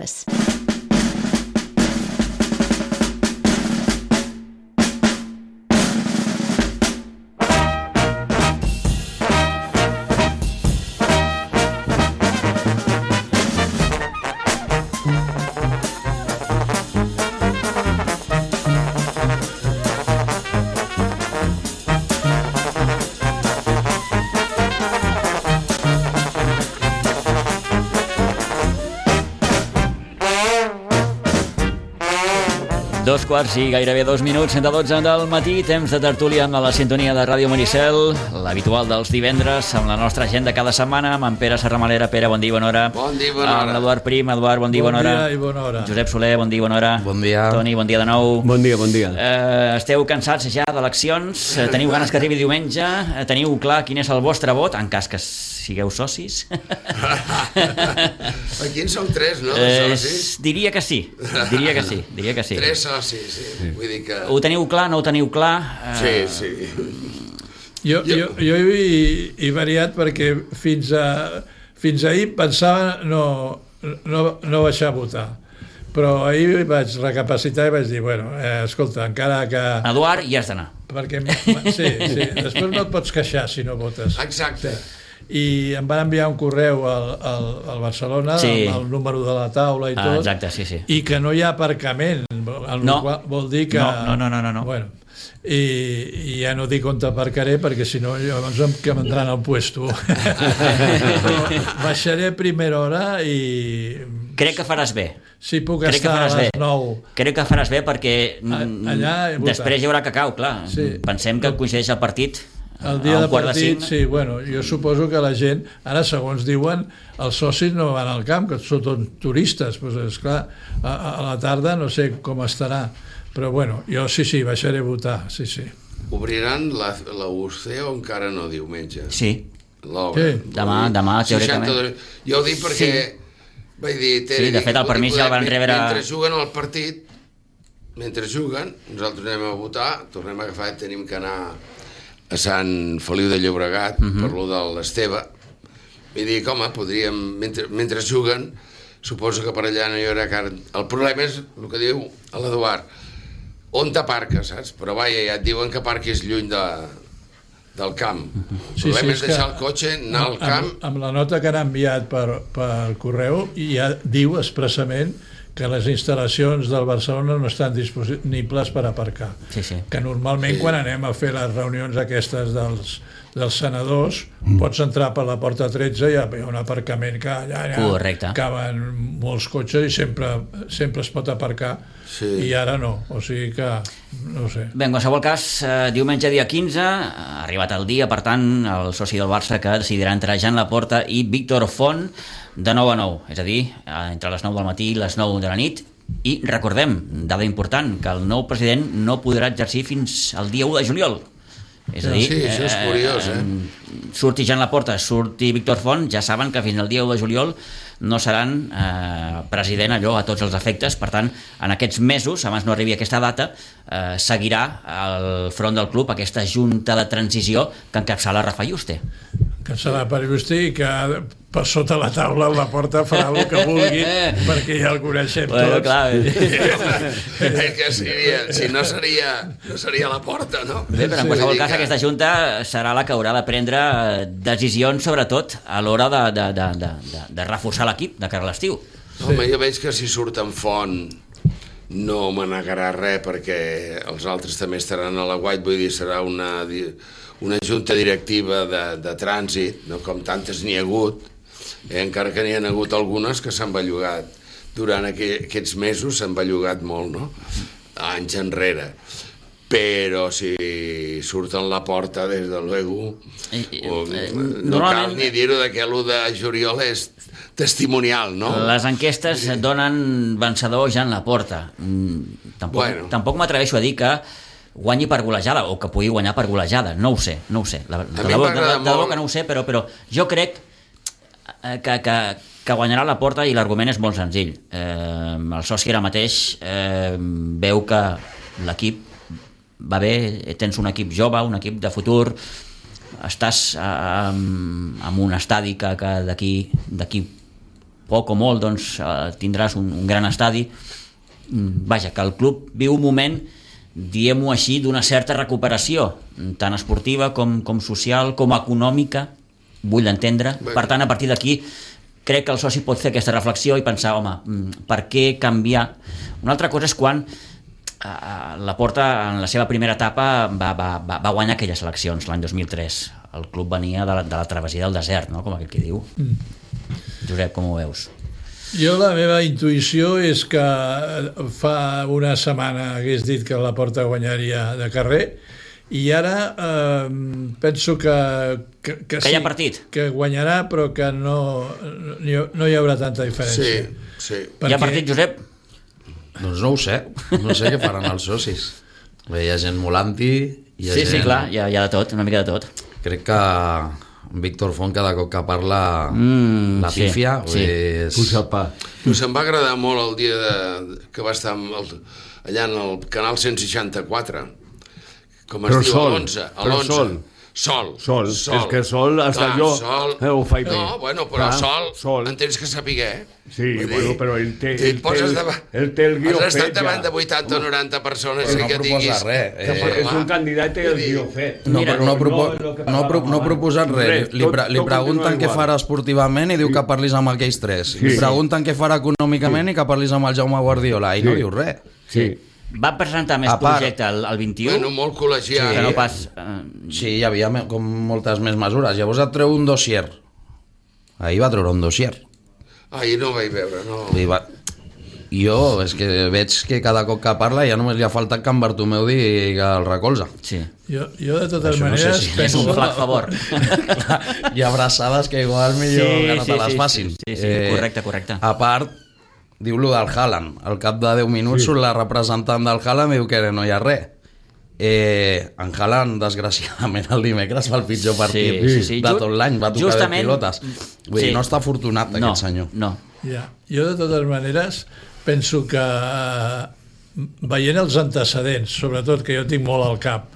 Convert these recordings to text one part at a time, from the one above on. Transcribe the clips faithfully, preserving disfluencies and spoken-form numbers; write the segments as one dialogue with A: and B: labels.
A: Figueres.
B: Dos quarts i gairebé dos minuts, de dotze del matí, temps de tertúlia amb la sintonia de Ràdio Maricel, l'habitual dels divendres, amb la nostra agenda cada setmana, amb en Pere Serramalera. Pere, bon dia i bona hora.
C: Bon dia i bona hora.
B: Amb l'Eduard Prim. Eduard, bon dia i bona hora.
D: Bon dia i bona hora.
B: Josep Soler, bon dia i bona hora.
E: Bon dia.
B: Toni, bon dia de nou.
E: Bon dia, bon dia.
B: Eh, esteu cansats ja d'eleccions? Eh, teniu ganes que arribi diumenge? Eh, teniu clar quin és el vostre vot, en cas que sigueu socis?
C: Aquí en som tres, no? De socis?
B: Eh, diria que sí, diria que sí, diria que sí.
C: Tres socis, sí. sí. Vull dir que...
B: Ho teniu clar, no ho teniu clar?
C: Sí, sí.
D: Jo, jo, jo he, he variat perquè fins, a, fins ahir pensava no, no, no baixar a votar. Però ahir vaig recapacitar i vaig dir, bueno, eh, escolta, encara que...
B: Eduard, hi has d'anar.
D: Perquè, sí, sí, després no et pots queixar si no votes.
C: Exacte.
D: I em van enviar un correu al, al, al Barcelona,
B: sí.
D: amb el número de la taula i tot,
B: ah, exacte, sí, sí.
D: i que no hi ha aparcament, el
B: no.
D: qual vol dir que...
B: No, no, no, no, no.
D: Bueno, i, i ja no dic on aparcaré perquè si no llavors em quedaran al puesto. Baixaré a primera hora i...
B: Crec que faràs bé.
D: Sí, puc
B: Crec
D: estar a les
B: bé.
D: nou.
B: Crec que faràs bé perquè
D: allà
B: després hi haurà cacau, clar. Sí. Pensem que coincideix el partit
D: el dia de partit, de sí, bueno, jo suposo que la gent, ara segons diuen, els socis no van al camp, que són tots turistes, doncs esclar, a, a la tarda no sé com estarà, però bueno, jo sí, sí, baixaré a votar, sí, sí.
C: Obriran la, la U C o encara no diumenge?
B: Sí.
C: Sí.
B: Demà, demà, teòricament.
C: Jo ho dic perquè, sí. vaig dir...
B: Sí, de fet, el permís ja el van rebre...
C: Mentre juguen al partit, mentre juguen, nosaltres anem a votar, tornem a agafar, tenim que anar a Sant Feliu de Llobregat, uh-huh. per lo de l'Esteve, i dic, home, podríem, mentre, mentre juguen, suposo que per allà no hi haurà car... El problema és el que diu l'Eduard, on t'aparques, saps? Però vaja, ja et diuen que aparquis lluny de, del camp. El
D: sí,
C: problema
D: sí,
C: és deixar el cotxe, anar al camp...
D: Amb, amb la nota que han enviat per, per correu, ja diu expressament que les instal·lacions del Barcelona no estan disponibles per aparcar.
B: Sí, sí.
D: Que normalment sí. Quan anem a fer les reunions aquestes dels, dels senadors, mm. pots entrar per la porta tretze i hi ha un aparcament que allà, allà caben molts cotxes i sempre, sempre es pot aparcar, sí. I ara no, o sigui que no ho sé.
B: Bé, en qualsevol cas, eh, diumenge dia quinze, ha arribat el dia, per tant, el soci del Barça que decidirà entre Jan Laporta i Víctor Font de nou a nou, és a dir, entre les nou del matí i les nou de la nit. I recordem, dada important, que el nou president no podrà exercir fins al dia u de juliol. És a dir,
C: sí, això és curiós, eh?
B: eh? Surti Jan Laporta, surti Víctor Font, ja saben que fins al dia u de juliol no seran eh, president allò a tots els efectes. Per tant, en aquests mesos, abans no arribi aquesta data, eh, seguirà al front del club aquesta junta de transició que encapçala Rafa Yuste.
D: Que serà per Agustí i que per sota la taula la porta farà el que vulgui perquè ja el coneixem
B: bueno,
D: tots.
B: Clar,
C: és que seria, si no seria, no seria la porta, no?
B: Bé, però en qualsevol cas aquesta junta serà la que haurà de prendre decisions, sobretot a l'hora de, de, de, de, de, de reforçar l'equip de cara a l'estiu.
C: Sí. Home, jo veig que si surt en Font no me negarà res perquè els altres també estaran a la guait, vull dir, serà una... una junta directiva de, de trànsit, no? Com tantes n'hi ha hagut, eh? Encara que n'hi ha hagut algunes que s'han bellugat durant aqu aquests mesos, s'han bellugat molt, no? Anys enrere. Però si surten la porta, des de luego, o, no cal ni dir-ho que l'u de juliol és testimonial, no?
B: Les enquestes donen vencedor Jan Laporta. Tampoc, bueno. tampoc m'atreveixo a dir que guanyi per golejada o que pugui guanyar per golejada, no ho sé, no ho sé. La, de, de, de, de debò que no ho sé, però, però jo crec que, que, que guanyarà Laporta i l'argument és molt senzill. Eh, el soci ara mateix eh, veu que l'equip va bé, tens un equip jove, un equip de futur, estàs eh, en un estadi que, que d'aquí d'aquí poc o molt doncs, eh, tindràs un, un gran estadi. Vaja, que el club viu un moment, diguem-ho així, d'una certa recuperació, tant esportiva com, com social, com econòmica, vull entendre. Per tant, a partir d'aquí crec que el soci pot fer aquesta reflexió i pensar, home, per què canviar? Una altra cosa és quan eh, Laporta en la seva primera etapa va, va, va, va guanyar aquelles eleccions l'any dos mil tres. El club venia de la, de la travessia del desert, no? Com aquell que diu. Mm. Josep, com ho veus?
D: Jo la meva intuïció és que fa una setmana hagués dit que Laporta guanyaria de carrer i ara eh, penso que, que, que,
B: que hi ha partit.
D: Que guanyarà però que no, no hi haurà tanta diferència.
C: Sí, sí.
B: Perquè... Hi ha partit, Josep?
A: Doncs no ho sé, no sé què faran els socis. Hi ha gent molant-hi...
B: Sí, gent... sí, clar, hi ha, hi ha de tot, una mica de tot.
A: Crec que Víctor Font cada cop que parla mm, la pífia
B: sí, sí.
A: És...
C: Puja el pa. Pues em va agradar molt el dia de, que va estar el, allà en el canal cent seixanta-quatre, com es però diu, sol, a l'onze. A l'onze. Sol.
E: Sol.
C: Sol.
E: És que Sol, hasta jo
C: sol.
E: Eh, ho faig bé.
C: No, bueno, però ah, sol, sol, en tens que saber, eh?
E: Sí,
C: vull
E: bueno,
C: dir,
E: però ell té,
C: ell té, el,
E: davant, ell té el guió fet.
C: Has estat davant de vuitanta o noranta persones
A: però
C: i
A: no
C: que diguis...
A: Res.
E: Eh, és un candidat i el guió fet.
A: No, Mira, no, propo no, no, pro no ha proposat res. res. Li, pre li pregunten què farà esportivament i diu sí. que parlis amb aquells tres. Sí. Li pregunten què farà econòmicament sí. i que parlis amb el Jaume Guardiola i sí. no diu res.
B: Sí. Va presentar més part, projecte al, al vint i u.
C: Bueno, molt col·legiat.
B: Sí, no pas,
A: uh... sí, hi havia com moltes més mesures. Llavors et treu un dossier. Ahir va treure un dossier.
C: Ahir no ho vaig veure, no.
A: Va... Jo, és que veig que cada cop que parla ja només li ha faltat que en Bartomeu digui que el recolza.
B: Sí.
D: Jo, jo de totes
A: Això
D: maneres...
A: No sé si
B: penso... És un flac favor.
A: Hi ha abraçades que igual millor sí, que no te les
B: sí,
A: facin.
B: Sí, sí, sí. Eh, correcte, correcte.
A: A part... Diu-lo del Haaland. Al cap de deu minuts sí. la representant del Haaland diu que no hi ha res. Eh, en Haaland, desgraciadament, el dimecres fa el pitjor partit sí, sí, sí. de tot l'any, va tocar Justament... de pilotes. Vull sí. dir, no està afortunat
B: no,
A: aquest senyor.
B: No,
D: ja. Jo, de totes maneres, penso que eh, veient els antecedents, sobretot que jo tinc molt al cap,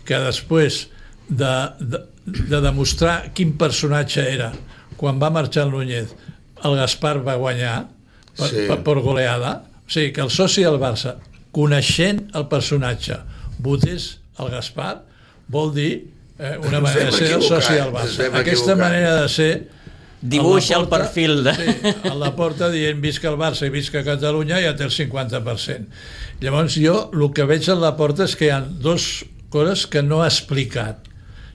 D: que després de, de, de demostrar quin personatge era quan va marxar el Núñez, el Gaspar va guanyar per, sí. per, per goleada, o sigui que el soci del Barça, coneixent el personatge, votés el Gaspar, vol dir eh, una manera de ser el soci del Barça. Aquesta manera de ser
B: dibuixa el perfil de...
D: Sí, a Laporta dient visca el Barça i visca Catalunya ja té el cinquanta per cent. Llavors jo el que veig a Laporta és que hi ha dues coses que no ha explicat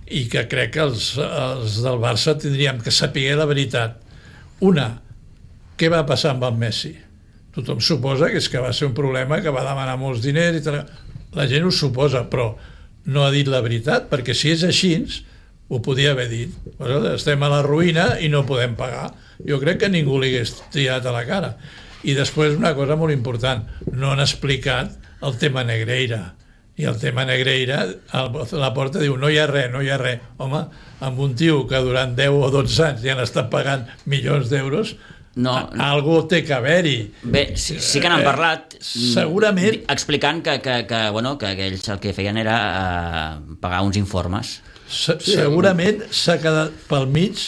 D: i que crec que els, els del Barça tindríem que saber la veritat. Una, què va passar amb el Messi? Tothom suposa que és que va ser un problema, que va demanar molts diners i tal. La gent ho suposa, però no ha dit la veritat, perquè si és així ho podia haver dit. Estem a la ruïna i no podem pagar. Jo crec que ningú li hagués tirat a la cara. I després una cosa molt important, no han explicat el tema Negreira. I el tema Negreira, Laporta diu no hi ha res, no hi ha res. Home, amb un tio que durant deu o dotze anys ja han estat pagant milions d'euros, no, algú té que haver-hi.
B: Bé, sí, sí que n'han parlat.
D: Eh, segurament.
B: Explicant que, que, que, bueno, que ells el que feien era eh, pagar uns informes.
D: Se, segurament s'ha quedat pel mig,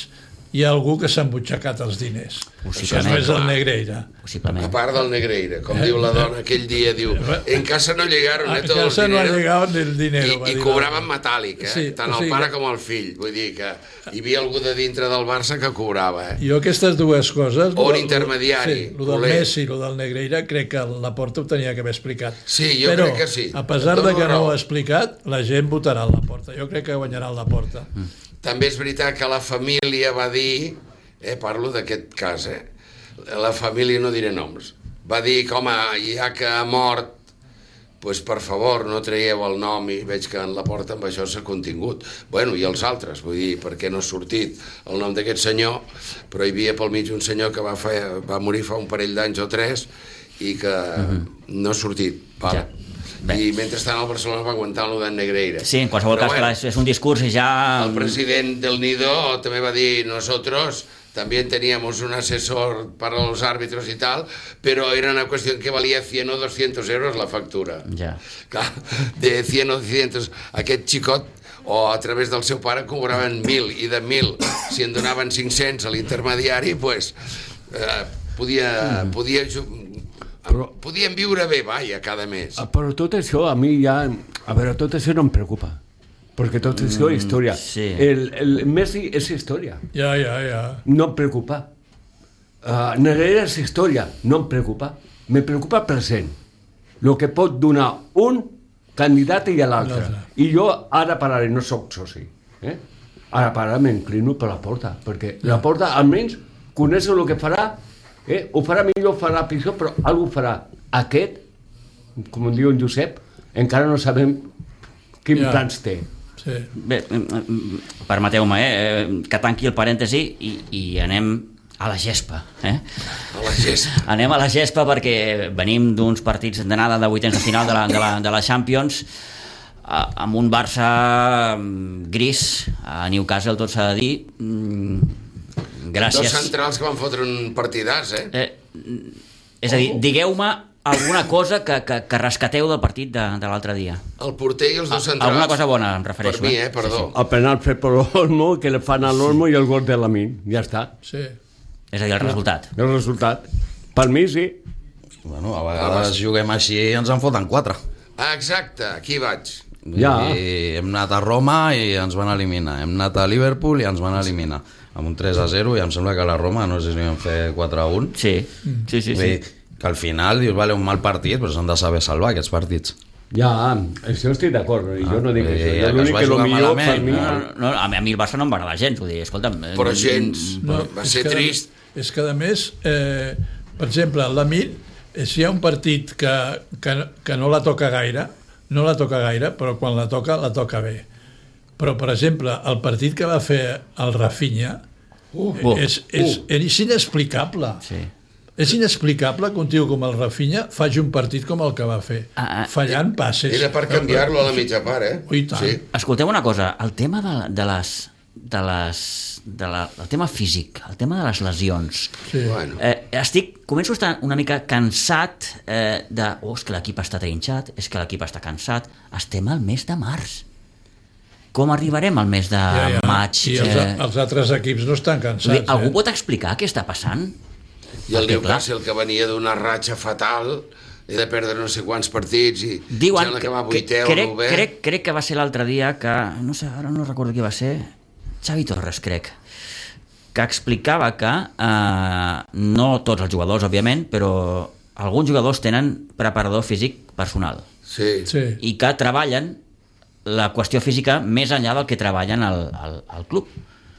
D: hi ha algú que s'ha embutxacat els diners. Això no és el Negreira.
B: Possiblement.
C: A part del Negreira, com eh? diu la dona aquell dia, diu, en casa no llegaron eh, todo el dinero.
D: No ha llegado el dinero.
C: I, i cobraven metàl·lic, eh? Sí, tant el sí, pare com el fill. Vull dir que hi havia algú de dintre del Barça que cobrava, eh?
D: Jo aquestes dues coses...
C: O l'intermediari.
D: Sí, el del Messi i el del Negreira, crec que Laporta ho tenia que haver explicat.
C: Sí, jo
D: Però,
C: crec que sí.
D: a pesar de que no ho ha explicat, la gent votarà a Laporta. Jo crec que guanyarà el Laporta.
C: Mm. També és veritat que la família va dir, eh, parlo d'aquest cas, eh, la família, no diré noms, va dir que, home, ja que ha mort, pues, per favor, no traieu el nom, i veig que en Laporta amb això s'ha contingut. Bueno, i els altres, vull dir, perquè no ha sortit el nom d'aquest senyor, però hi havia pel mig un senyor que va, fer, va morir fa un parell d'anys o tres i que uh-huh. no ha sortit. Vale. Ja. Bé. I mentrestant el Barcelona va aguantar el de Negreira.
B: Sí, en qualsevol però cas, bueno, és un discurs i ja...
C: El president del Nido també va dir, nosotros también teníamos un asesor para los árbitros y tal, pero era una cuestión que valía cien o doscientos euros la factura.
B: Ja.
C: Clar, de cien o doscientos, aquest xicot o a través del seu pare cobraven mil, i de mil, si en donaven cinc-cents a l'intermediari, pues, eh, podia, mm. podia, però, podien viure bé, vaja, cada mes.
F: Però tot això a mi ja... A veure, tot això no em preocupa. Perquè tot això és història.
B: Mm, sí.
F: el, el Messi és història.
D: Ja, ja, ja.
F: No em preocupa. Uh, Negreira és història. No em preocupa. Me preocupa el present. El que pot donar un candidat i a l'altre. I jo ara pararé, no soc soci. Eh? Ara pararé, m'inclino per la Porta. Perquè la Porta, almenys, coneix el que farà. Eh? Ho farà millor, farà pitjor, però algú farà. Aquest, com diu en Josep, encara no sabem quin ja. plans té.
D: Sí.
B: Bé, permeteu-me eh, que tanqui el parèntesi i, i anem a la gespa, eh?
C: A la gespa.
B: Anem a la gespa perquè venim d'uns partits d'anada de vuitens de final de la, de la, de la Champions eh, amb un Barça gris a Newcastle, tot s'ha de dir. Mm, gràcies.
C: Dos centrals que van fotre un partidàs, eh?
B: eh és a dir, digueu-me alguna cosa que, que, que rescateu del partit de, de l'altre dia.
C: El porter i els dos centrals.
B: Alguna cosa bona, em refereixo.
C: Per mi, eh? Perdó.
F: Sí, sí. El penal fet per l'Olmo, que le fan a l'Olmo i el gol de Lamin. Ja està.
D: Sí.
B: És a dir, el resultat.
F: El resultat. Per mi, sí.
A: Bueno, a vegades juguem així i ens en foten quatre.
C: Ah, exacte, aquí vaig.
F: Ja.
A: I hem anat a Roma i ens van eliminar. Hem anat a Liverpool i ens van eliminar. Amb un tres a zero i em sembla que a la Roma no sé si vam fer quatre a un.
B: Sí, sí, sí. sí.
A: Que al final dius, vale, un mal partit, però s'han de saber salvar aquests partits.
F: Ja, això estic d'acord, i jo no dic
A: eh,
F: això.
A: Ja
F: Jo l'únic que, que el millor per mi...
B: No, no, a mi el Barça no em va agradar gens, vull dir, escolta'm...
C: Però gens,
D: no,
C: va ser
D: que,
C: trist.
D: És que, a més, eh, per exemple, l'Amir, si hi ha un partit que, que, que no la toca gaire, no la toca gaire, però quan la toca, la toca bé. Però, per exemple, el partit que va fer el Rafinha uh, és, és, uh. és inexplicable.
B: Sí.
D: És inexplicable que un tio com el Rafinha faci un partit com el que va fer, ah, ah, fallant passes.
C: Era per canviar-lo a la mitja part, eh?
D: Ui, tant. Sí.
B: Escolteu una cosa, el tema de, de les... De les de la, el tema físic, el tema de les lesions.
D: Sí.
C: Bueno.
B: Eh, estic, començo a estar una mica cansat eh, de, oh, és que l'equip està trinxat, és que l'equip està cansat. Estem al mes de març. Com arribarem al mes de
D: ja, ja.
B: maig?
D: I els, eh... els altres equips no estan cansats.
B: Algú
D: eh?
B: pot explicar què està passant?
C: I el Newcastle, que venia d'una ratxa fatal, he de perdre no sé quants partits i
B: diuen
C: sembla
B: que,
C: que va
B: que
C: vuitè o
B: crec,
C: novè.
B: crec, crec que va ser l'altre dia que, no sé, ara no recordo qui va ser, Xavi Torres, crec, que explicava que eh, no tots els jugadors, òbviament, però alguns jugadors tenen preparador físic personal.
C: Sí.
D: Sí.
B: I que treballen la qüestió física més enllà del que treballen al, al, al club.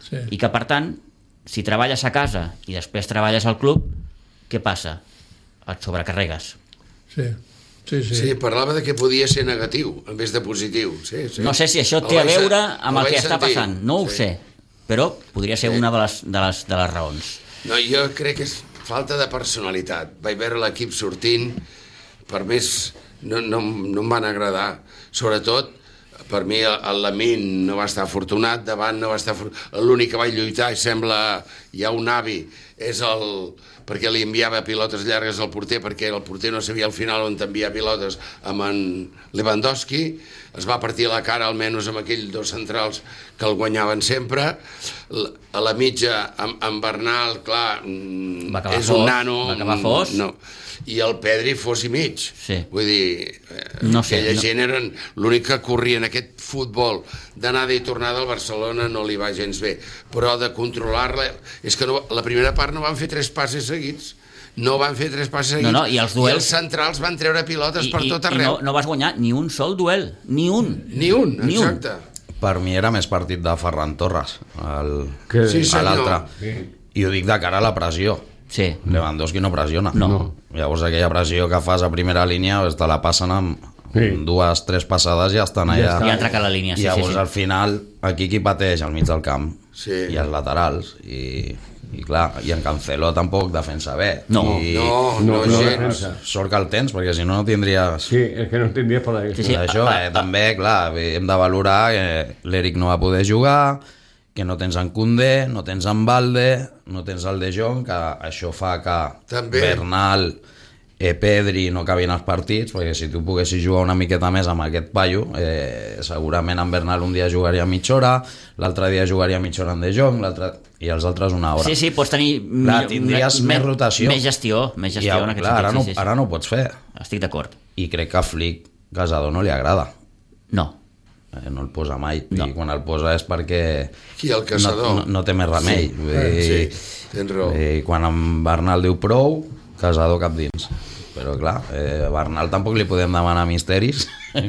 D: Sí.
B: I que, per tant, si treballes a casa i després treballes al club, què passa? Et sobrecarregues.
D: Sí. Sí, sí.
C: Sí, parlava de que podia ser negatiu en vez de positiu. Sí, sí.
B: No sé si això té a veure amb el que està passant, no ho sé, però podria ser una de les, de les, de les raons.
C: No, jo crec que és falta de personalitat. Vaig veure l'equip sortint, per més no, no, no em van agradar. Sobretot, per mi el Lamin no va estar afortunat, davant no va estar afortunat. L'únic que va lluitar, i sembla ja un avi, és el... perquè li enviava pilotes llargues al porter, perquè el porter no sabia al final on t'enviar pilotes amb en Lewandowski, es va partir la cara almenys amb aquells dos centrals que el guanyaven sempre. A la mitja, amb, amb Bernal, clar, és
B: fos,
C: un nano...
B: va acabar fos.
C: No. I el Pedri fos i mig.
B: Sí.
C: Vull dir,
B: no sé,
C: aquella
B: no.
C: gent eren l'únic que corria en aquest futbol d'anada i tornada al Barcelona, no li va gens bé, però de controlar-la és que no, la primera part no van fer tres passes seguits, no van fer tres passes seguits,
B: no, no, i els duels...
C: i els centrals van treure pilotes
B: I,
C: per
B: i,
C: tot arreu.
B: I no, no vas guanyar ni un sol duel, ni un.
C: Ni un,
B: ni
C: exacte.
B: Un.
A: Per mi era més partit de Ferran Torres, el,
F: que...
C: sí,
A: a l'altre.
F: Sí.
A: I ho dic de cara a la pressió.
B: Sí.
A: Lewandowski no pressiona.
B: No.
A: Llavors aquella pressió que fas a primera línia te la passen amb sí. dues, tres passades i ja estan allà.
B: Ja entra a la línia, sí,
A: I llavors
B: sí, sí.
A: al final aquí qui pateix al mig del camp
C: sí.
A: i els laterals i, i clar, i en Cancelo tampoc defensa bé.
B: No,
A: I,
C: no, no, no,
A: no
C: gens.
A: Sort que el tens, perquè si no no tindries...
F: Sí, és que no tindries per la
B: Sí, sí.
A: Això,
B: Ah, ah,
A: eh, també, clar, hem de valorar que l'Eric no va poder jugar, que no tens en Koundé, no tens en Balde, no tens el De Jong, que això fa que
C: també.
A: Bernal, eh, Pedri no cabin als partits, perquè si tu poguessis jugar una miqueta més amb aquest paio, eh, segurament en Bernal un dia jugaria mitja hora, l'altre dia jugaria mitja hora en De Jong, l'altre... i els altres una hora.
B: Sí, sí, pots tenir...
A: Clar, tindries més, més rotació.
B: Més gestió, més gestió
A: I,
B: en aquest
A: clar, ara,
B: sentit.
A: no,
B: Sí, sí, sí.
A: ara no ho pots fer.
B: Estic d'acord.
A: I crec que a Flick Casado no li agrada.
B: No.
A: Eh, no el posa mai.
B: No.
A: I quan el posa és perquè...
C: Qui, el Caçador?
A: No, no, no té més remei.
C: Sí,
A: Vull dir,
C: sí, tens raó.
A: I quan en Bernal diu prou, Casado cap dins. Però clar, eh, Bernal tampoc li podem demanar misteris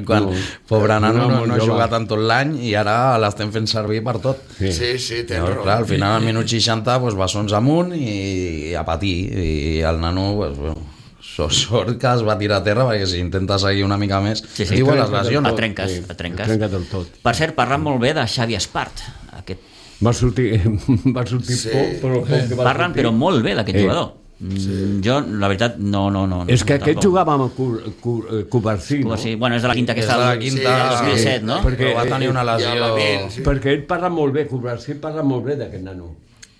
A: quan no, pobre nano no, no ha jugat en tot l'any i ara l'estem fent servir per tot.
C: Sí, sí, sí tens raó.
A: Clar, al final al minut seixanta pues, bessons amunt i, i a patir, i el nano pues, bueno, sort que es va tirar a terra perquè si intenta seguir una mica més
B: sí, sí,
A: diu les lesions.
B: Et trenques, et trenques.
F: Et trenca del tot.
B: Per cert, parlant molt bé de Xavi Espart. Aquest...
F: Va sortir, va sortir
C: Sí.
F: poc, però poc que va
B: Parlen
F: sortir.
B: però molt bé d'aquest
F: Eh.
B: jugador. Sí. Jo, la veritat, no... no, no
F: És que
B: no,
F: aquest
B: tampoc.
F: jugava amb Covarsí, no?
B: Sí, bueno, és de la quinta que
A: És
B: està
A: de la
B: al
A: quinta,
B: dos mil set, no?
F: Perquè-
A: Però va tenir una
C: I a
A: lesió...
C: Lamine, sí.
F: Perquè ell parla molt bé, Covarsí parla molt bé d'aquest nano.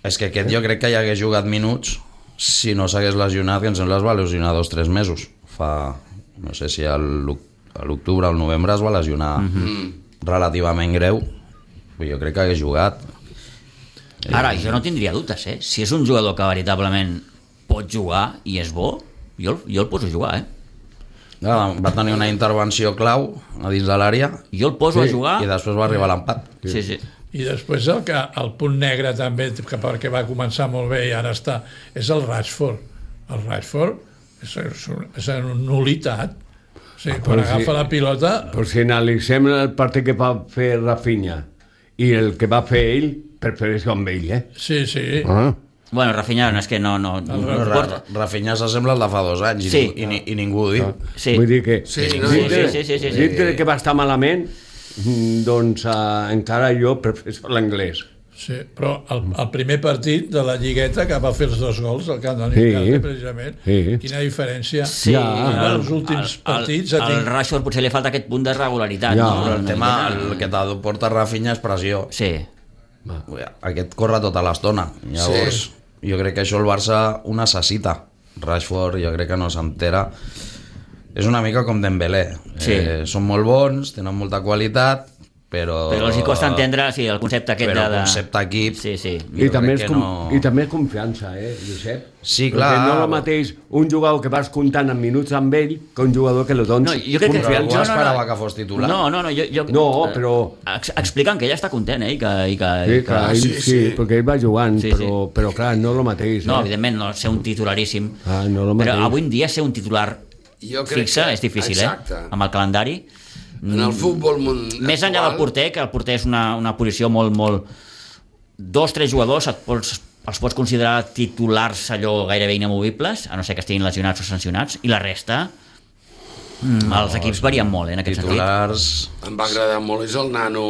A: És que aquest jo crec que ja hagués jugat minuts si no s'hagués lesionat, que em sembla es va lesionar dos o tres mesos. Fa, no sé si a l'oc- a l'octubre o al novembre es va lesionar mm-hmm. relativament greu. Jo crec que hagués jugat.
B: Ara, jo no tindria dubtes, eh? Si és un jugador que veritablement pot jugar i és bo, jo, jo el poso a jugar, eh?
A: Va tenir una intervenció clau a dins de l'àrea
B: Jo el poso
F: Sí,
B: a jugar...
A: i després va arribar l'empat.
B: Sí, sí.
D: I després el, que, el punt negre també, que perquè va començar molt bé i ara està, és el Rashford. El Rashford és, és, un, és una nulitat. O sigui, quan
F: Però
D: agafa
F: si-
D: la pilota...
F: Però si analitzem el partit que va fer Rafinha i el que va fer ell, prefereixo amb ell, eh?
D: Sí, sí.
F: Ah.
B: Bueno, Rafinha, no, és que no... no, no,
A: No,
B: porta...
A: Ra- Rafinha s'assembla al de fa dos anys
B: Sí.
A: i, i, i ningú ho diu.
B: Sí.
F: Vull dir que
C: Sí, no,
F: dintre,
B: sí, sí, sí, sí.
F: dintre que va estar malament, mm, doncs uh, encara jo prefereixo l'anglès.
D: Sí, però el, el primer partit de la Lligueta que va fer els dos gols al camp de
F: Sí.
D: Newcastle, precisament,
F: Sí.
D: quina diferència.
B: Sí,
F: Ja.
D: En els últims partits...
B: El, el,
D: ha
B: el
D: tingut-
B: Rashford potser li falta aquest punt de regularitat,
F: Ja,
B: no?
A: Però el
B: Una
A: tema,
B: miqueta-
A: el que t'aporta Rafinha és pressió.
B: Sí.
A: Aquest corre tota l'estona. Llavors, sí. jo crec que això el Barça ho necessita. Rashford jo crec que no s'entera. És una mica com Dembélé.
B: Sí.
A: Eh, són molt bons, tenen molta qualitat, però...
B: Però els hi costa entendre sí, el concepte aquest
A: Però
B: de... de...
A: concepte equip...
B: Sí, sí.
F: I
A: Jo
F: també,
A: crec
F: és
A: que
F: com,
A: no-
F: I també és confiança, eh, Josep?
A: Sí,
F: Perquè
A: clar.
F: no és el mateix un jugador que vas comptant en minuts amb ell que un jugador que li dones
B: No, jo crec que-
A: Però algú
B: no, no, no.
A: esperava que fos titular.
B: No, no, no, jo... jo
F: No, però-
B: Ex explicant que ella està content, eh? I que, i que,
F: Sí,
B: i que...
F: clar, ell,
C: sí,
F: sí,
C: sí.
F: perquè ell va jugant,
B: Sí,
F: però, però clar, no és el mateix.
B: No,
F: eh?
B: evidentment, no ser un titularíssim.
F: Ah, no el
B: però
F: mateix.
B: avui en dia ser un titular
C: Jo crec
B: fixe
C: que-
B: és difícil,
C: exacte.
B: eh? Amb el calendari.
C: En el futbol mun-
B: Més enllà del
C: actual,
B: porter, que el porter és una, una posició molt, molt... Dos, tres jugadors et pots, els pots considerar titulars allò gairebé inamovibles, a no ser que estiguin lesionats o sancionats, i la resta... Mm, els equips varien molt, eh, en aquest sentit.
A: Titulars...
C: em va agradar molt, és el nano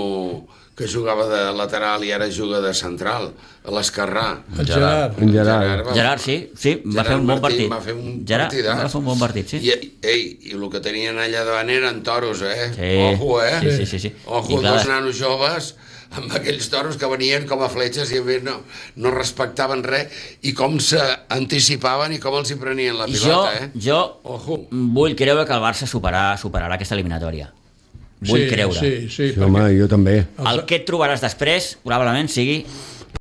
C: que jugava de lateral i ara juga de central, a l'esquerrà.
D: El Gerard.
F: En Gerard.
C: va-
B: Gerard, sí, sí, va
C: Gerard
B: fer un bon
C: Martí
B: partit.
C: va fer un
B: Gerard
C: partidàs.
B: va fer un bon partit, sí.
C: I, ei, i el que tenien allà davant eren toros, eh?
B: Sí.
C: Ojo, eh?
B: Sí, sí, sí, sí.
C: Ojo,
B: I clar,
C: dos nanos joves amb aquells toros que venien com a fletxes i a més no, no respectaven res i com s'anticipaven i com els hi prenien la
B: I jo,
C: pilota, eh?
B: jo
C: Ojo.
B: vull creure que el Barça superarà, superarà aquesta eliminatòria. Vull
D: sí,
B: creure.
D: Sí, sí,
F: Sí, home, jo també.
B: El que et trobaràs després probablement sigui,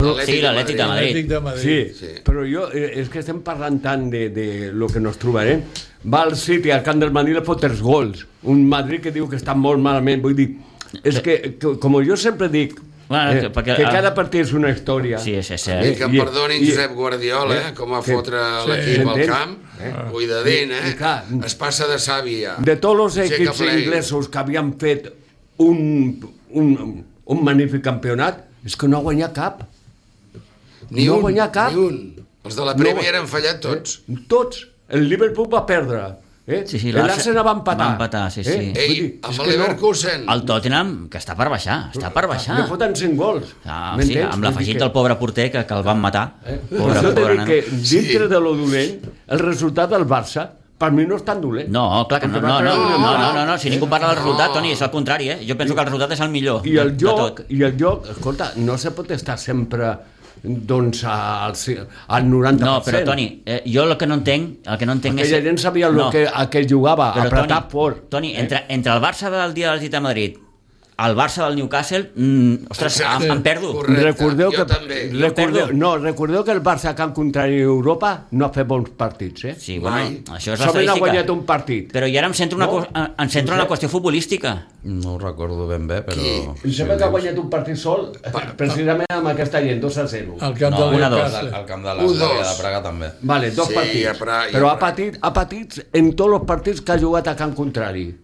C: L'Atlètic
B: sigui
C: de
B: l'Atlètic de Madrid.
D: Atlètic de Madrid.
F: Sí,
C: Sí.
F: però jo, eh, és que estem parlant tant de, de lo que nos trobarem. Va al City, al camp del Madrid, le fot tres gols. Un Madrid que diu que està molt malament. Vull dir, és que, que com jo sempre dic,
B: Bueno,
F: eh,
B: que- perquè-
F: que cada partit és una història.
B: Sí, és, és,
C: I que em
F: I-
C: perdonin
F: i-
C: Josep Guardiola, eh? com a
F: que-
C: fotre
D: sí,
C: l'equip al
F: s'entén?
C: camp, cuidadín,
F: I- i
C: eh?
F: clar,
C: Es passa de sàvia.
F: De tots els
C: Aixeca
F: equips
C: play.
F: inglesos que havien fet un, un, un magnífic campionat, és que no ha guanyat cap.
C: Ni
F: no
C: un,
F: guanyar cap.
C: ni un. Els de la Premier han fallat tots.
F: Eh? Tots. El Liverpool va perdre. Eh?
B: Sí, sí,
F: L'Arsenal va empatar.
B: va empatar, sí, sí.
F: Eh?
C: Ei,
F: Vull dir,
C: amb
F: és
C: el
F: que no.
C: Leverkusen.
B: el Tottenham, que està per baixar, està per baixar.
F: Li foten cinc gols.
B: Ah, sí,
F: M'entens?
B: amb
F: Vull dir
B: l'afegit
F: que-
B: del pobre porter que, que el van matar.
F: Eh?
B: Pobre,
F: Això t'he
B: pobre
F: dit
B: nano.
F: que dintre de lo dolent, el resultat del Barça per mi no és tan dolent.
B: No, clar que no,
F: Perquè va
B: no, no,
F: treure
B: no,
F: un
B: no,
F: empat.
B: no, no, si ningú parla del
C: No.
B: resultat, Toni, és el contrari, eh? Jo penso que el resultat és el millor
F: I el
B: de,
F: joc,
B: de tot.
F: i el joc, escolta, no se pot estar sempre doncs al, al noranta per cent.
B: No, però Toni, eh, jo el que no entenc, el que no entenc
F: Aquella
B: és...
F: gent sabia el
B: No.
F: que, a què jugava,
B: Però,
F: apretar
B: Toni,
F: fort.
B: Toni, entre, entre el Barça del dia de l'Atlètic de Madrid, el Barça del Newcastle, mm, ostres, em, em perdo.
C: Correcte,
F: recordeu
C: jo
F: que,
C: també.
F: recordeu, no, recordeu que el Barça que han contrari a Europa no ha fet bons partits, eh?
B: Sí, bueno,
C: Mai.
B: això és
F: Solament ha
B: l'estadística.
F: guanyat un partit.
B: Però i ara em centro, una,
F: No?
B: co- em centro en la qüestió futbolística.
A: No ho recordo ben bé, però...
F: Em sembla que ha guanyat un partit sol, precisament amb aquesta gent, dos a zero.
D: Al camp
B: No,
D: del
B: una, dos.
D: Newcastle.
A: Al camp de
C: Un,
A: l'Eslàvia
C: dos.
A: de Praga també.
F: Vale, dos
C: Sí,
F: partits.
C: a Pra- i a
F: Però ha
C: Pra-
F: patit, ha patit en tots els partits que ha jugat a camp contrari.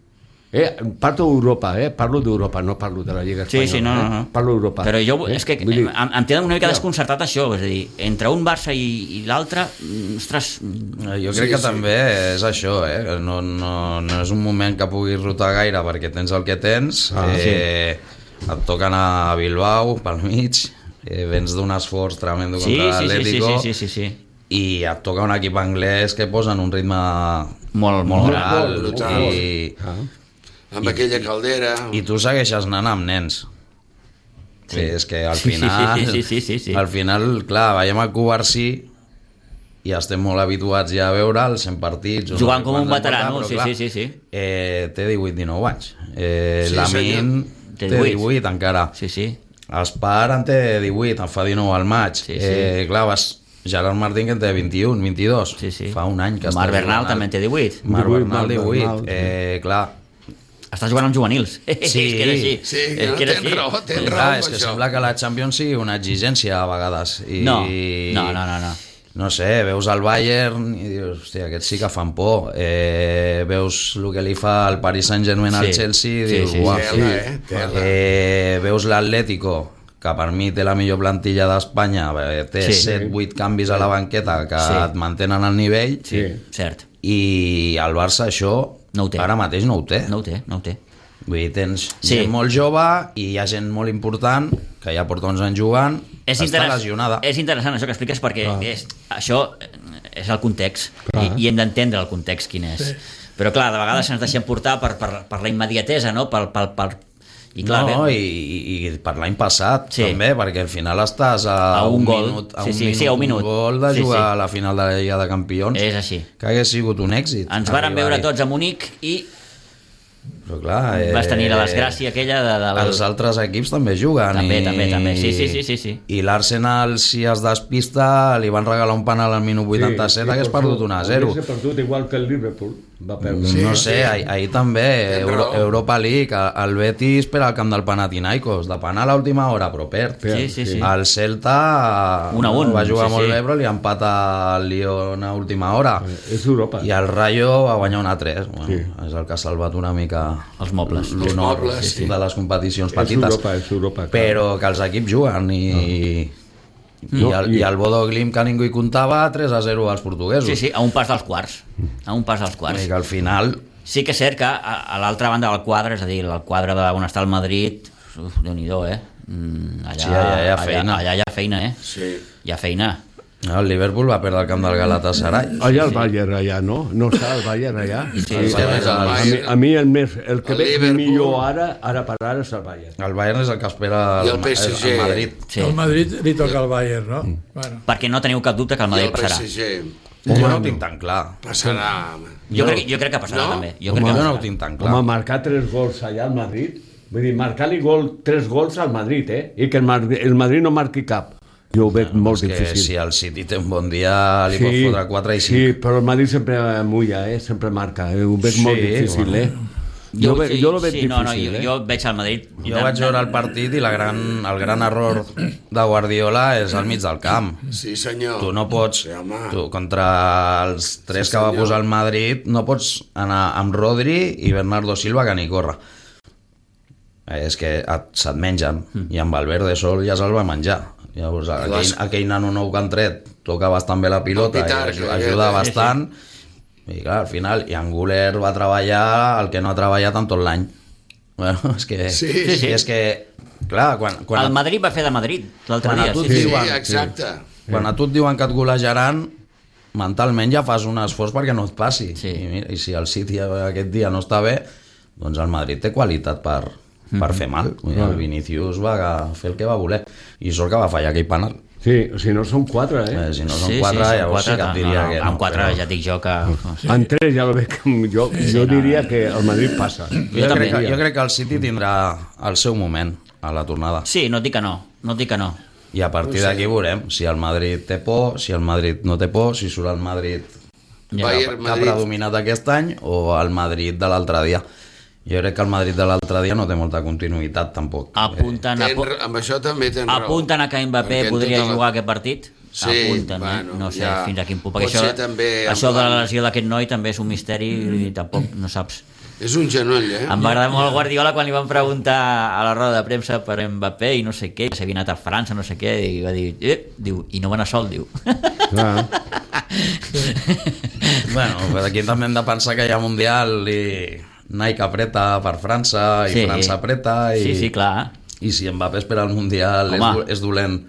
F: Eh? Parlo d'Europa, eh? Parlo d'Europa, no parlo de la Lliga
B: Sí,
F: Espanyola.
B: sí, no, no, no.
F: Eh? Parlo d'Europa.
B: Però jo,
F: eh?
B: és que
F: Vull dir,
B: em, em té una mica
F: Ja.
B: desconcertat això, és a dir, entre un Barça i, i l'altre, mm, ostres,
A: Eh, Jo crec
C: Sí,
A: que
C: sí.
A: també és això, eh? que no, no, no és un moment que puguis rotar gaire perquè tens el que tens,
F: Ah,
A: eh, et toca anar a Bilbao pel mig, eh, vens d'un esforç tremendo
B: sí,
A: contra
B: sí, sí, sí,
A: l'Atlético
B: sí, sí, sí, sí.
A: i et toca un equip anglès que posa en un ritme
B: Molt, molt
A: molt
B: gran.
A: alt
C: brutal.
A: i,
F: Ah.
C: Amb aquella caldera...
A: i tu segueixes anant amb nens. Sí, és que al
B: Sí, sí,
A: final,
B: sí, sí, sí, sí, sí.
A: al final, clar, veiem el Covarsí i estem molt habituats ja a veure'l cent partits.
B: Jugant com un
A: quants en
B: veterano,
A: porta,
B: sí,
A: però,
B: sí, sí, sí.
A: Eh, té divuit dinou anys. Eh,
C: Sí,
A: Lamin
B: Té
A: té
B: divuit.
A: divuit encara.
B: Sí, sí.
A: Espar en té divuit, en fa dinou al maig.
B: Sí, sí.
A: Eh, clar, vas... Gerard Martín que en té vint-i-un, vint-i-dos.
B: Sí, sí.
A: Fa un any que
B: Marc
A: està
B: Bernal
A: jugant
B: també
A: al-
B: en té divuit.
A: Marc
F: divuit,
A: Bernal,
F: Marc
A: divuit.
F: Bernal.
A: Eh, clar,
B: Està jugant amb juvenils. Sí. És que era així.
C: Sí, que
B: és
C: no
B: que era
C: tens
B: així.
C: raó, tens
A: clar,
C: raó
A: és
C: amb
A: que
C: això.
A: sembla que la Champions sigui una exigència a vegades. I...
B: No, no, no, no, no.
A: No sé, veus el Bayern i dius, hòstia, aquests sí que fan por. Eh, veus el que li fa el Paris Saint-Germain al
B: Sí.
A: Chelsea i
B: Sí,
A: dius,
B: sí,
A: uau.
C: sí. Tela, eh? Tela.
A: Eh, veus l'Atlético, que per mi té la millor plantilla d'Espanya, eh, té
B: Sí.
A: set vuit canvis a la banqueta que
B: Sí.
A: et mantenen al nivell,
B: Sí, cert.
A: i el Barça això
B: No ho té.
A: ara mateix no ho té.
B: No ho té, no ho té.
A: Vull dir, tens
B: Sí.
A: gent molt jove i hi ha gent molt important que ja porta uns anys jugant,
B: És,
A: que està
B: interess...
A: lesionada.
B: és interessant això que expliques perquè
F: Clar.
B: és, això és el context
F: Clar.
B: i, i hem d'entendre el context quin és.
D: Sí.
B: Però clar, de vegades ens deixem portar per, per, per la immediatesa, no? Per, per, per... I clar,
A: no,
B: bé,
A: i, i, i per l'any passat
B: Sí.
A: també, perquè al final estàs a,
B: A un gol.
A: minut, a
B: Sí,
A: un
B: sí,
A: minut,
B: sí, a un minut.
A: un gol de
B: Sí,
A: jugar
B: sí.
A: a la final de la Lliga de Campions,
B: és així.
A: que hagués sigut un èxit.
B: Ens varen
A: arribar-hi.
B: veure tots a Munic i
A: Però clar, eh,
B: vas tenir la desgràcia aquella de... de
A: els altres equips també juguen.
B: També,
A: i,
B: també, també. Sí, sí, sí, sí, sí.
A: I l'Arsenal, si es despista, li van regalar un penal al minut vuitanta-set, sí, hagués perdut un a zero.
F: Hagués perdut igual que el Liverpool. Va perdre.
A: Sí, no sé, ahir, ahir també,
C: Tens
A: Euro,
C: raó.
A: Europa League, el Betis per al camp del Panathinaikos, de penal a l'última hora, però perd.
B: Sí, sí, sí.
A: El Celta
B: Un a un,
A: va jugar
B: sí,
A: molt
B: sí.
A: bé, però li empata el Lyon a última hora.
F: És Europa.
A: I el Rayo va guanyar un a tres. Bueno,
F: Sí.
A: És el que ha salvat una mica
B: Els mobles.
A: l'honor
C: Els mobles, sí.
A: de les competicions
F: És
A: petites.
F: Europa, és Europa. clar.
A: Però que els equips juguen i... I,
F: No,
A: el,
F: i-
A: I el Bodo Glimt, que ningú hi comptava, tres a zero als portuguesos.
B: Sí, sí, a un pas dels quarts. A un pas dels
A: I
B: quarts.
A: que al final...
B: Sí que és cert que a, a l'altra banda del quadre, és a dir, el quadre de on està el Madrid, uf, Déu-n'hi-do, eh? Mm, allà,
A: Sí, allà hi ha feina.
B: Allà, allà hi ha feina, eh?
C: Sí.
B: Hi ha feina.
A: El Liverpool va perdre el camp del Galatasaray.
F: Allà el Bayern, allà, no? No està el Bayern allà?
B: Sí,
F: el
B: sí,
F: Bayern.
A: sí,
F: a,
C: sí.
F: mi, a mi el, més, el que
C: El
F: veig
C: Liverpool.
F: millor ara, ara per ara és el Bayern.
A: El Bayern és el que espera
C: I
A: el,
C: el P S G.
A: el Madrid.
B: Sí.
D: El Madrid li toca al Bayern, no? Bueno.
B: Perquè no teniu cap dubte que el
C: I
B: Madrid
C: el P
B: passarà.
C: S G
A: Jo no ho tinc tan clar.
C: passarà...
B: Jo, crec, jo crec que passarà,
C: No?
B: també. Jo
A: Jo
B: crec que
A: no
B: passarà.
A: ho tinc tan clar.
F: Home, marcar tres gols allà al Madrid, vull dir, marcar-li gol, tres gols al Madrid, eh? I que el Madrid, el Madrid no marqui cap. Jo ho veig molt
A: És que
F: difícil.
A: si el City té un bon dia li pot fotre quatre i cinc.
F: Sí, però el Madrid sempre mulla, eh? Sempre marca. Eh? Ho veig
A: Sí,
F: molt difícil,
A: bueno.
F: eh? Jo, ve,
B: sí,
F: jo lo veig
B: sí,
F: difícil,
B: no, no, jo,
F: eh?
B: jo veig el Madrid...
A: Jo vaig veure el partit i la gran, el gran error de Guardiola és al mig del camp.
C: Sí, senyor.
A: Tu no pots,
C: Sí, home.
A: tu, contra els tres
C: Sí,
A: que va
C: senyor.
A: posar el Madrid, no pots anar amb Rodri i Bernardo Silva que ni corre. Eh, És que et, se't mengen, i amb Valverde sol ja se'l va menjar. Llavors, aquell,
C: Les-
A: aquell nano nou que han tret toca bastant bé la pilota
C: El Pitar,
A: i aju-
C: que-
A: ajuda
C: que-
A: bastant. I clar, al final, i Anguler va treballar el que no ha treballat en tot l'any. Bueno, és que...
C: Sí,
B: sí, sí.
A: És que, clar, quan, quan,
B: El Madrid va fer de Madrid l'altre
A: Quan a
B: dia.
A: tu
B: Sí,
A: et
B: sí.
C: Sí,
A: diuen-
C: exacte.
A: quan a tu et diuen que et golejaran, mentalment ja fas un esforç perquè no et passi.
B: Sí.
A: I, mira, I si el City aquest dia no està bé, doncs el Madrid té qualitat per, per fer mal. Vull dir, el Vinicius va fer el que va voler. I sort que va fallar aquell penal.
F: Sí, si no són quatre, eh?
A: eh si no són sí, quatre, sí, llavors sí que et diria
B: no,
A: que
B: no.
A: no.
B: Amb quatre però... ja et dic jo que...
F: Sí. En tres ja lo veig, jo, sí, jo diria que el Madrid passa.
A: Jo, jo, crec que, jo crec que el City tindrà el seu moment a la tornada.
B: Sí, no et dic que no, no et dic que no.
A: I a partir d'aquí veurem si el Madrid té por, si el Madrid no té por, si surt el Madrid ja. que, que ha predominat aquest any o el Madrid de l'altre dia. Jo crec que el Madrid de l'altre dia no té molta continuïtat, tampoc.
B: Apunten,
C: eh, ten, amb això també tens raó.
B: Apunten a que Mbappé podria tota jugar la... aquest partit?
C: Sí,
B: apunten,
C: bueno,
B: no sé
C: ja,
B: fins a quin punt. Perquè això,
C: també
B: això de la lesió d'aquest noi també és un misteri mm. i tampoc no saps.
C: És un genoll, eh?
B: Em va agradar molt el Guardiola quan li van preguntar a la roda de premsa per Mbappé i no sé què, s'havia anat a França, no sé què, i va dir, eh, diu, i no va anar sol, diu.
F: Ah.
A: Bueno, aquí també hem de pensar que hi ha Mundial i Nike apreta per França i sí. França apreta i,
B: sí, sí, clar.
A: I si Mbappé espera el Mundial és, és dolent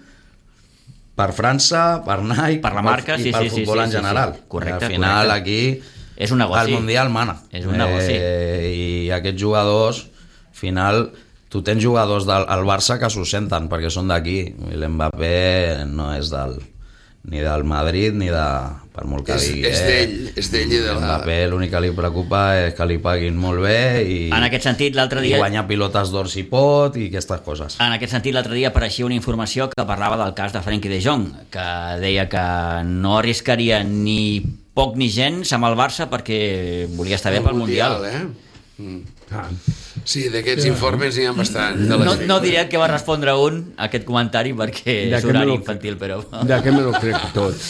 A: per França, per Nike,
B: per la marca,
A: i
B: sí,
A: pel
B: sí,
A: futbol
B: sí,
A: en
B: sí,
A: general.
B: Sí, sí. Correcte,
A: al final
B: correcte.
A: aquí
B: és un negoci.
A: el Mundial mana.
B: És un negoci.
A: Eh, I aquests jugadors, al final, tu tens jugadors del al Barça que s'ho senten perquè són d'aquí. L'Mbappé no és del ni del Madrid ni de... per molt que
C: és,
A: digui
C: és d'ell, és d'ell i de la...
A: Mbappé l'únic que li preocupa és que li paguin molt bé i,
B: en aquest sentit, l'altre dia...
A: i guanyar pilotes d'or si pot i aquestes coses.
B: En aquest sentit, l'altre dia apareixia una informació que parlava del cas de Frenkie de Jong, que deia que no arriscaria ni poc ni gens amb el Barça perquè volia estar bé pel Mundial,
C: Mundial eh? mm. ah. Sí, d'aquests sí, informes n'hi ha bastant.
B: No, no diré que va respondre un a aquest comentari perquè és horari infantil, però...
F: De què me lo crec tot.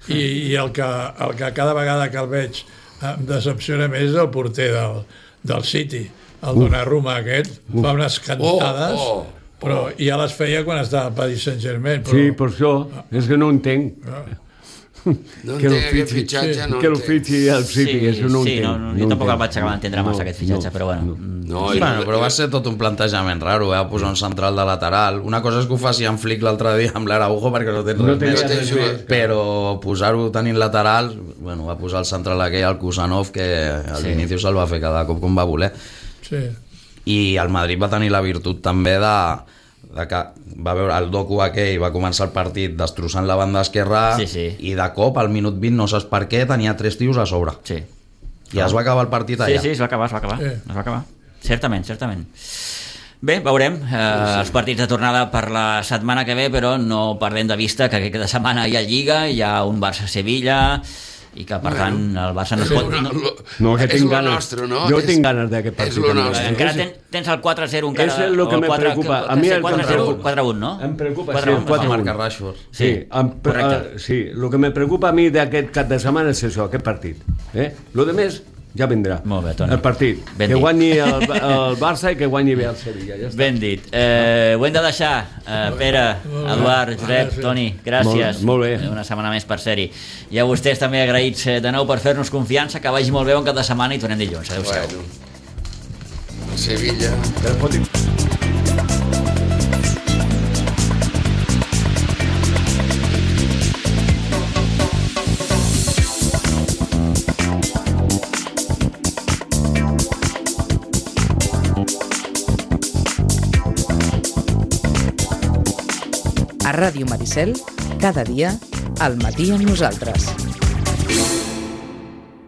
D: I, i el, que, el que cada vegada que el veig em decepciona més és el porter del, del City, el Donnarumma aquest, fa unes cantades, oh, oh, oh. però ja les feia quan estava al Paris Saint-Germain. Però...
F: Sí, per això, és que no entenc.
C: Ah. No que entenc aquest fitxatge,
F: sí, no que el fitxi al City,
B: sí,
F: això no
B: sí,
F: entenc.
B: No, no, jo
F: no
B: tampoc
F: entenc.
B: el vaig acabar d'entendre massa, no, aquest fitxatge, no, però bueno.
F: No.
C: No,
A: bueno, però va ser tot un plantejament raro, eh? Posar un central de lateral. Una cosa és que ho faci en Flick l'altre dia amb l'Araujo perquè no tens
F: no
A: res més,
F: res més,
A: però posar-ho tenint lateral, bueno, va posar el central aquell, el Kusanov, que al sí. inici se'l va fer cada cop com va voler.
D: Sí.
A: I el Madrid va tenir la virtut també de, de que va veure el docu aquell, va començar el partit destrossant la banda esquerra
B: sí, sí.
A: i de cop al minut vint no saps per què tenia tres tios a sobre.
B: Sí.
A: I es va acabar el partit allà.
B: Sí, sí, es va acabar, es va acabar. Sí. Es va acabar. Certament, certament. Bé, veurem eh, sí. els partits de tornada per la setmana que ve, però no perdem de vista que aquesta setmana hi ha Lliga, hi ha un Barça-Sevilla i que per bueno, tant el Barça no es pot...
C: No,
B: no,
F: no que tinc ganes,
C: nostre, no?
F: Jo
C: és,
F: tinc ganes d'aquest partit.
B: Encara ten, tens el quatre a zero encara...
F: És el que me
B: quatre,
F: preocupa.
B: Que,
F: a mi el
B: quatre a zero, quatre a un, no?
F: Em preocupa,
B: quatre a un,
F: sí, el quatre a un.
A: Marca Rashford.
F: Sí, sí, em,
B: correcte.
F: Uh, sí, el que me preocupa a mi d'aquest cap de setmana és això, aquest partit. Eh? Lo de més ja vindrà.
B: Molt bé, Toni.
F: El partit.
B: Ben
F: que
B: dit.
F: guanyi el, el Barça i que guanyi bé el Sevilla. Ja està.
B: Ben dit. Eh, ho hem de deixar. Eh, Pere, Eduard, Josep, Toni, gràcies.
F: Molt, molt bé.
B: Una setmana més per ser-hi. I a vostès també agraïts de nou per fer-nos confiança, que vagi molt bé un cap de setmana i tornem dilluns. Adéu-siau.
C: Bueno, Sevilla.
G: A Ràdio Maricel, cada dia, al matí amb nosaltres.